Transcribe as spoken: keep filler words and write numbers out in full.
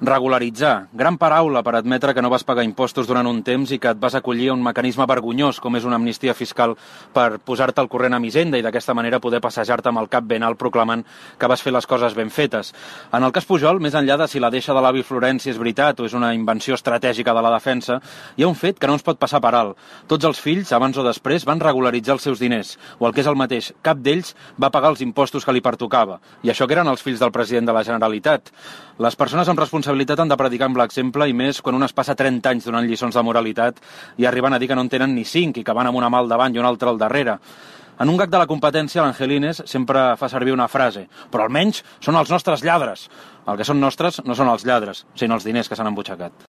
Regularitzar. Gran paraula per admetre que no vas pagar impostos durant un temps i que et vas acollir a un mecanisme vergonyós com és una amnistia fiscal per posar-te al corrent amb Hisenda i d'aquesta manera poder passejar-te amb el cap ben alt proclamant que vas fer les coses ben fetes. En el cas Pujol, més enllà de si la deixa de l'avi Florenci és veritat o és una invenció estratègica de la defensa, hi ha un fet que no ens pot passar per alt. Tots els fills, abans o després, van regularitzar els seus diners, o el que és el mateix, cap d'ells va pagar els impostos que li pertocava. I això que eren els fills del president de la Generalitat. Les persones amb responsabilitat han de predicar amb l'exemple i més quan un es passa trenta anys donant lliçons de moralitat i arriben a dir que no en tenen ni cinc i que van amb una mà al davant i una altra al darrere. En un gag de la competència, l'Angelines sempre fa servir una frase, però almenys són els nostres lladres. El que són nostres no són els lladres, sinó els diners que s'han embutxacat.